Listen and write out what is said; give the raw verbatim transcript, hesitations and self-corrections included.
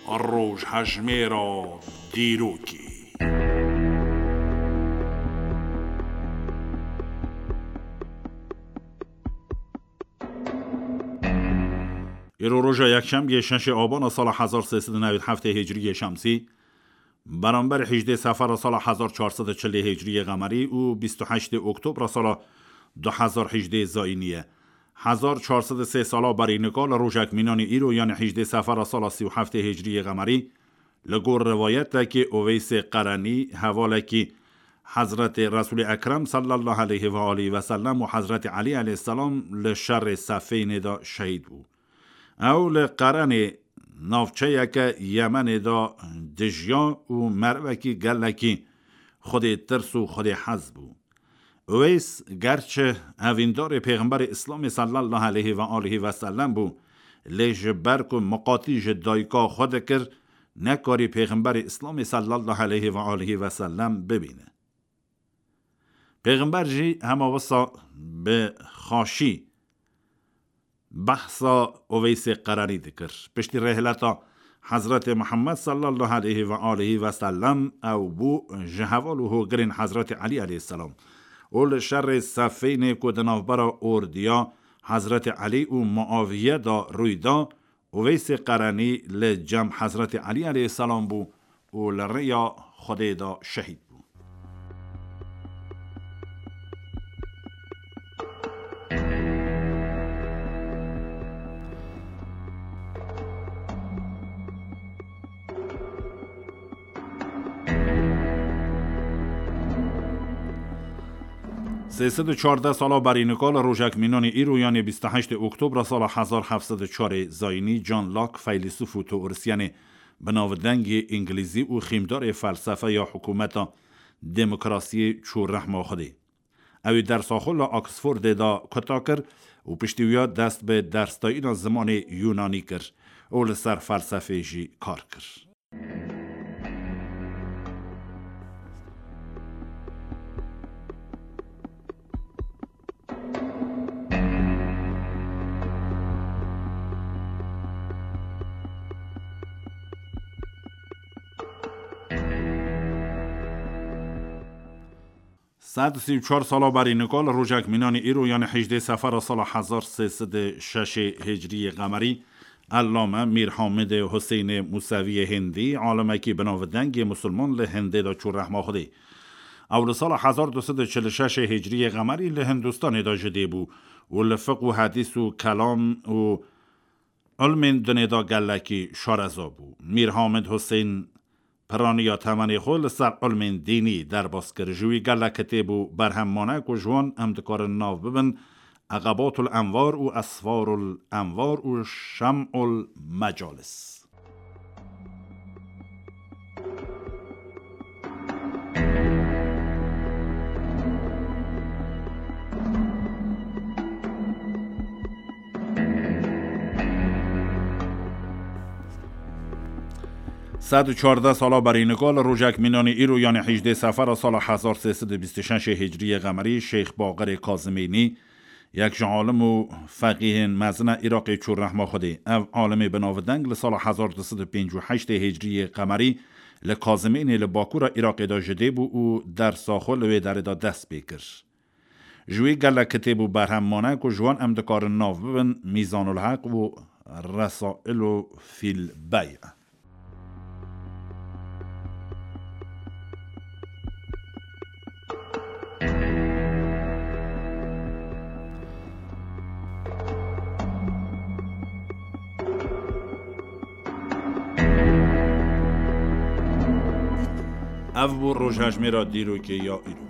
Rojhejmêra dîrokê. Îro roja yekşemiyê şeşê Abana sala hezar sê sed û newî heftê Hicriyê Şemsî, beramber hejdê Sefera sala hezar çar sed û çilê Hicriyê Qemerî û bîst û heştê Oktobra sala du hezar hejdê Zayînî ye. Hezar çar sed û sê sala berî nika li rojek mînanî îro, yanî hejdê Sefera sala sî û heftê Hicriyê Qemerî, li gor rivayetekî Uveysê Qerenî, hevalekî Hezretê Resûlê Ekrem sallallahu aleyhi ve aleyhi ve sellem û Hezretê Elî aleyhisselam li şerê Sefînê de şehîd bû. Ew li Qerenê, navçeyeke Yemenê de dijiya û merivekî gelekî Xwedê tirs û Xwedê hez bû. Uweys gerçi evîndarê Pêxemberê Îslamê sallallahu aleyhi ve aleyhi ve sellem bû, lê ji ber ku miqatî ji dayika xwe dikir, nekarî Pêxemberê Îslamê sallallahu aleyhi ve aleyhi ve sellem bibîne. Pêxember jî hema wisa bi xaşî behsa Uveysê Qerenî dikir. Piştî rêhileta Hezretê Muhammed sallallahu aleyhi ve aleyhi ve sellem ew bû ji heval û hogirên Hezretê Elî aleyhisselam û li şerê Sefînê ku di navbera ordiya Hezretê Elî û Muaviye de rûy da, Uveysê Qerenî li cem Hezretê Elî aleyhisselam bû û li rêya Xwedê de şehîd bû. Sê sed û çardeh sala berî nika li rojek mînanî îro, yanê bîst û heştê Oktobra sala hezar heft sed û çarê Zayînî, John Locke, feylesûf û teorisyenê bi navdengê îngilîzî û xîmdarê felsefe ya hikûmeta demokrasiyê çû rehma Xwedê. Ew ê dersa xwe li Oxfordê de kuta kir û piştî wî ya dest bi dersdayîna zimanê Yûnanî kir û li ser felsefê jî kar kir. Sed û sî û çar sala berî nika li rojek mînanî îro, yanî hejdê Sefera sala hezar sê sed û şeşê Hicriyê Qemerî, Ellame Mîr Hamidê Huseynê Museviyê Hindî, alimekî bi navdengê Musulman li Hindê de çû rehma Xwedê. Ew li sala hezar du sed û çil û şeşê Hicriyê Qemerî li Hindistanê de ji dê bû û li fiq û hedîs û kelam û ilmên dinê de gelekî şareza bû. Mîr Hamid Huseyn piraniya temenê xwe li ser ilmên dînî derbas kir. Ji wî gelek kitêb û berhem mane ku ji wan em dikarin nav bibin Eqebatul Envar û Esfarul Envar û Şem'ul Mecalis. Sed û çardeh sala berî nika li rojek mînanî îro, yanî hejdê Sefera sala hezar sê sed û bîst û şeşê Hicriyê Qemerî, Şêx Baqirê Kazimênî, yek ji alim û feqîhên mezin e Iraqê, çû rehma Xwedê. Ev alimê bi navdeng li sala hezar du sed û pêncî û heştê Hicriyê Qemerî li Kazimênê li bakûra Iraqê de ji dê bû û dersa xwe li wê derê de dest pê kir. Ji wî gelek kitêb û berhem mane ku ji wan em dikarin nav bibin Mîzanul Heq û Resailu Fîl Bey. Ev bû rojhejmêra dîrokê ya îro.